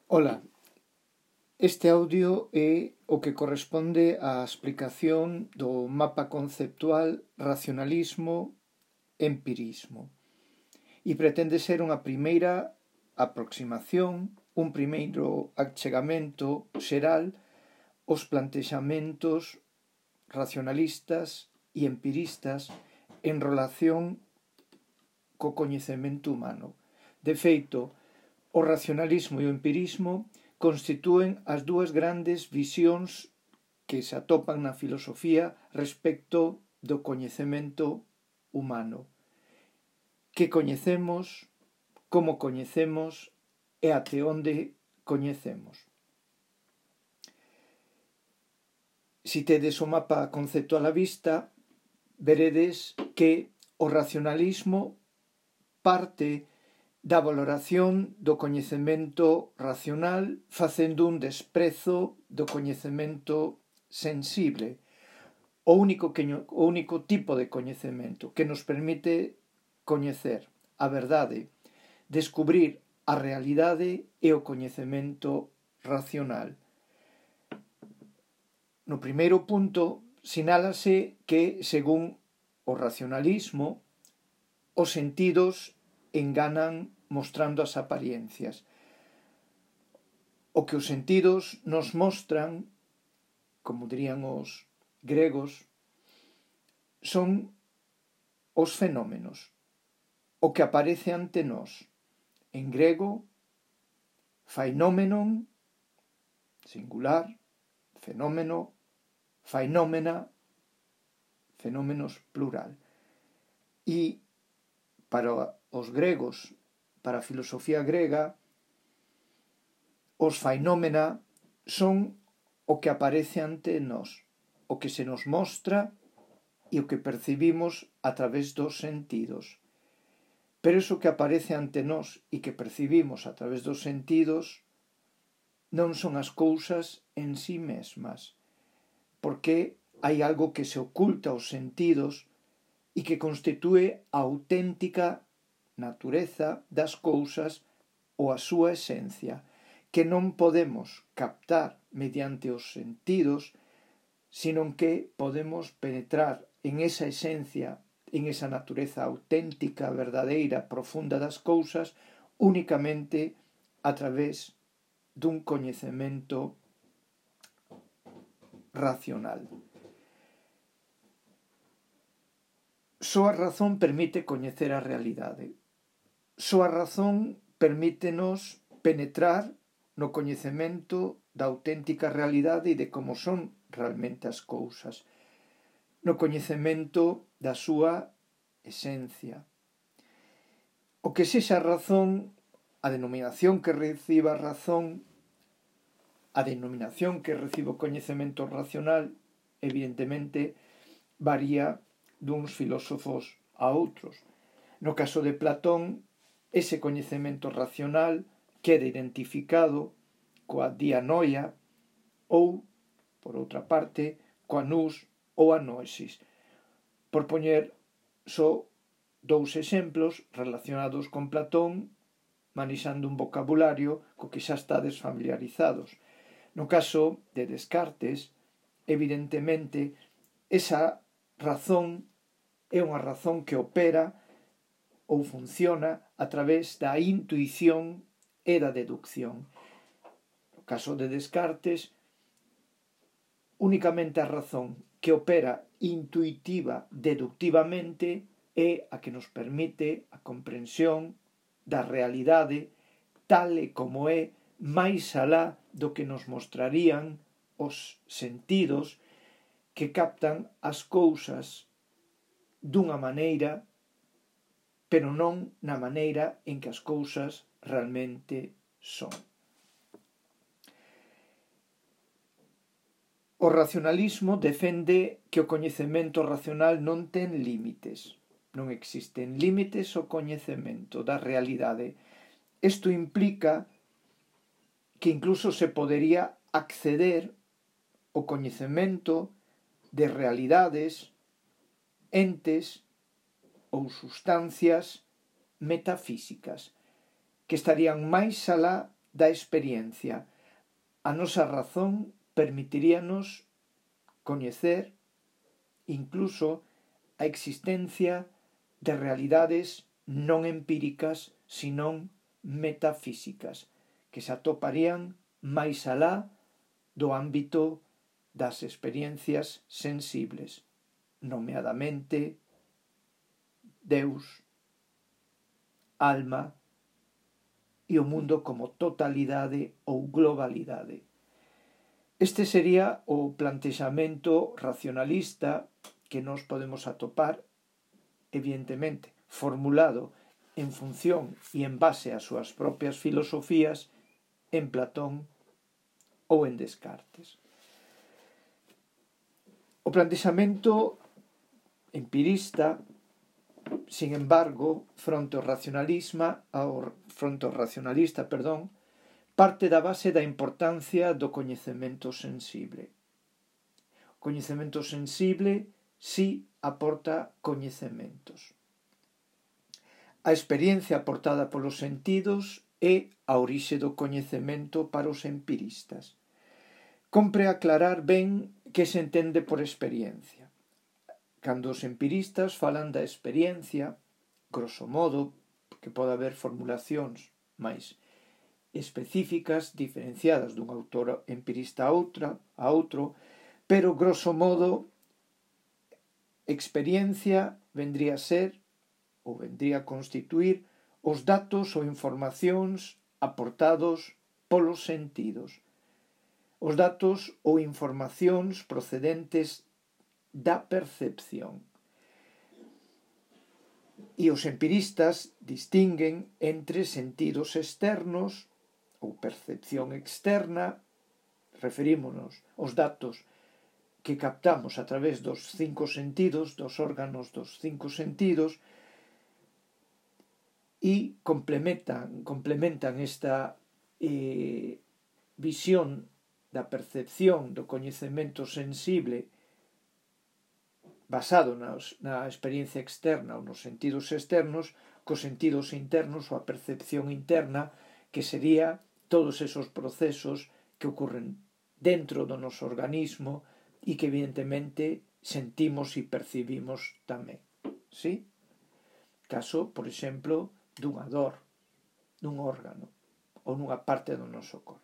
Ola, este audio é o que corresponde á explicación do mapa conceptual racionalismo-empirismo e pretende ser unha primeira aproximación, un primeiro achegamento xeral aos plantexamentos racionalistas e empiristas en relación co coñecemento humano. De feito, o racionalismo e o empirismo constitúen as dúas grandes visións que se atopan na filosofía respecto do coñecemento humano. Que coñecemos, como coñecemos e até onde coñecemos. Si tedes o mapa conceptual á vista, veredes que o racionalismo parte da valoración do coñecemento racional facendo un desprezo do coñecemento sensible, o único tipo de coñecemento que nos permite coñecer a verdade, descubrir a realidade e o coñecemento racional. No primeiro punto, sinálase que, según o racionalismo, os sentidos enganan mostrando as apariencias. O que os sentidos nos mostran, como dirían os gregos, son os fenómenos, o que aparece ante nós. En grego, fainómenon, singular, fenómeno, fainómena, fenómenos plural. E para os gregos, para a filosofía grega, os fainómena son o que aparece ante nós, o que se nos mostra e o que percibimos a través dos sentidos. Pero iso que aparece ante nós e que percibimos a través dos sentidos non son as cousas en sí mesmas, porque hai algo que se oculta aos sentidos e que constitúe a auténtica natureza das cousas ou a súa esencia, que non podemos captar mediante os sentidos, sino que podemos penetrar en esa esencia, en esa natureza auténtica, verdadeira, profunda das cousas, únicamente a través dun coñecemento racional. Só a razón permite coñecer a realidade. Só a razón permítenos penetrar no coñecemento da auténtica realidade e de como son realmente as cousas, no coñecemento da súa esencia. O que sexa a razón, a denominación que reciba a razón, a denominación que reciba o coñecemento racional, evidentemente, varía duns filósofos a outros. No caso de Platón, ese coñecemento racional queda identificado coa dianoia ou, por outra parte, coa nous ou a noesis. Por poñer só dous exemplos relacionados con Platón, manexando un vocabulario co que xa estades familiarizados. No caso de Descartes, evidentemente, esa razón é unha razón que opera ou funciona a través da intuición e da deducción. No caso de Descartes, únicamente a razón que opera intuitiva, deductivamente, é a que nos permite a comprensión da realidade tal e como é, máis alá do que nos mostrarían os sentidos que captan as cousas dunha maneira, pero non na maneira en que as cousas realmente son. O racionalismo defende que o coñecemento racional non ten límites. Non existen límites ao coñecemento da realidade. Isto implica que incluso se podería acceder ao coñecemento de realidades, entes ou sustancias metafísicas que estarían máis alá da experiencia. A nosa razón permitiríanos coñecer incluso a existencia de realidades non empíricas, senón metafísicas, que se atoparían máis alá do ámbito das experiencias sensibles, nomeadamente Deus, alma e o mundo como totalidade ou globalidade. Este sería o plantexamento racionalista que nos podemos atopar, evidentemente, formulado en función e en base ás súas propias filosofías en Platón ou en Descartes. O plantexamento empirista, sin embargo, fronte ao racionalista, parte da base da importancia do coñecemento sensible. O coñecemento sensible si aporta coñecementos. A experiencia aportada polos sentidos é a orixe do coñecemento para os empiristas. Compre aclarar ben que se entende por experiencia. Cando os empiristas falan da experiencia, grosso modo, que pode haber formulacións máis específicas, diferenciadas dun autor empirista a outro, pero grosso modo, experiencia vendría a constituir os datos ou informacións aportados polos sentidos. Os datos ou informacións procedentes da percepción. E os empiristas distinguen entre sentidos externos ou percepción externa, referímonos aos datos que captamos a través dos 5 sentidos, dos órganos dos 5 sentidos, e complementan esta visión da percepción do coñecemento sensible basado na experiencia externa ou nos sentidos externos, cos sentidos internos ou a percepción interna, que sería todos esos procesos que ocurren dentro do noso organismo e que evidentemente sentimos e percibimos tamén. ¿Sí? Caso, por exemplo, dunha dor, nun órgano ou nunha parte do noso corpo.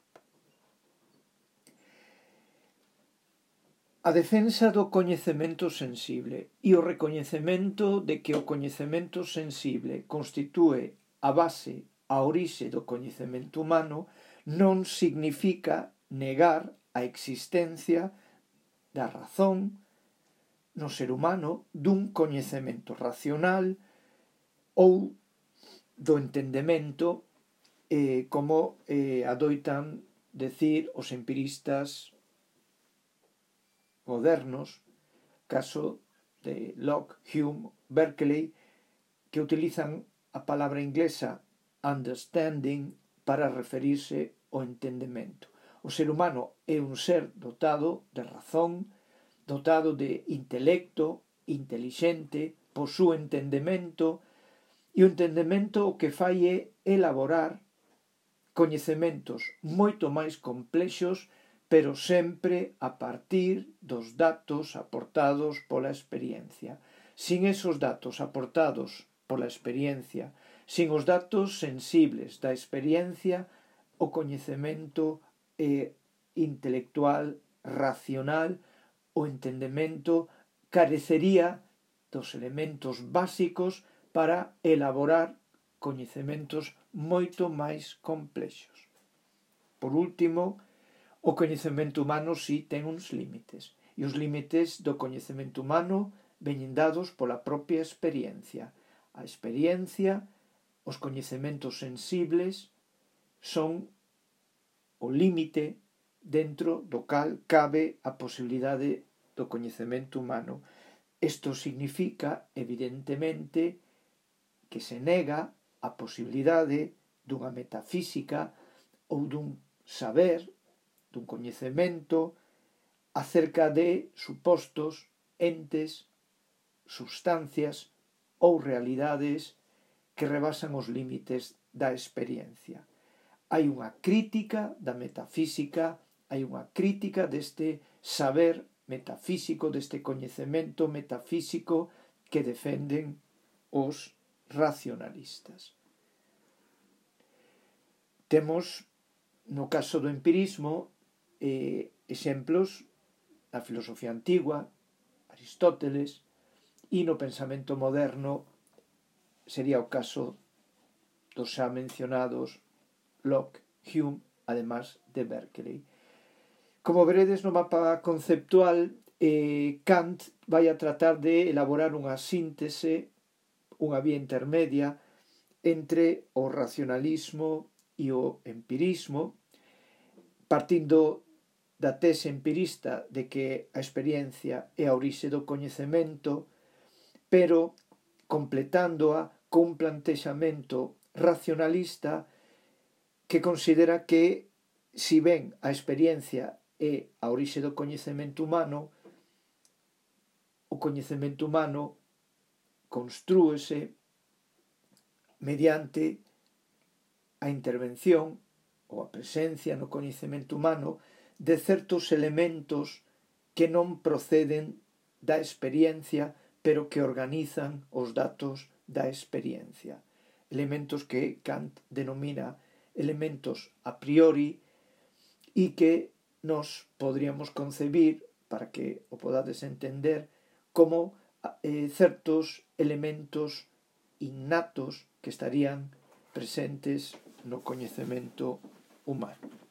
A defensa do coñecemento sensible e o recoñecemento de que o coñecemento sensible constitúe a base, a orixe do coñecemento humano, non significa negar a existencia da razón no ser humano, dun coñecemento racional ou do entendemento, como adoitan decir os empiristas modernos, caso de Locke, Hume, Berkeley, que utilizan a palabra inglesa understanding para referirse ao entendemento. O ser humano é un ser dotado de razón, dotado de intelecto, intelixente, posúe entendemento, e o entendemento o que fai é elaborar coñecementos moito máis complexos, pero sempre a partir dos datos aportados pola experiencia. Sin esos datos aportados pola experiencia, sin os datos sensibles da experiencia, o coñecemento intelectual, racional, o entendemento carecería dos elementos básicos para elaborar coñecementos moito máis complexos. Por último, o coñecemento humano si ten uns límites, e os límites do coñecemento humano veñen dados pola propia experiencia. A experiencia, os coñecementos sensibles, son o límite dentro do cal cabe a posibilidade do coñecemento humano. Isto significa, evidentemente, que se nega a posibilidade dunha metafísica ou dun saber, dun coñecemento acerca de supostos entes, substancias ou realidades que rebasan os límites da experiencia. hai unha crítica da metafísica, hai unha crítica deste saber metafísico, deste coñecemento metafísico que defenden os racionalistas. Temos, no caso do empirismo, exemplos na filosofía antigua, Aristóteles, e no pensamento moderno sería o caso dos xa mencionados Locke, Hume, además de Berkeley. Como veredes no mapa conceptual, Kant vai a tratar de elaborar unha síntese, unha vía intermedia entre o racionalismo e o empirismo, partindo da tese empirista de que a experiencia é a orixe do coñecemento, pero completándoa cun plantexamento racionalista que considera que, si ben a experiencia é a orixe do coñecemento humano, o coñecemento humano construíse mediante a intervención ou a presencia no coñecemento humano de certos elementos que non proceden da experiencia, pero que organizan os datos da experiencia. Elementos que Kant denomina elementos a priori e que nos podríamos concebir, para que o podades entender, como certos elementos innatos que estarían presentes no coñecemento humano.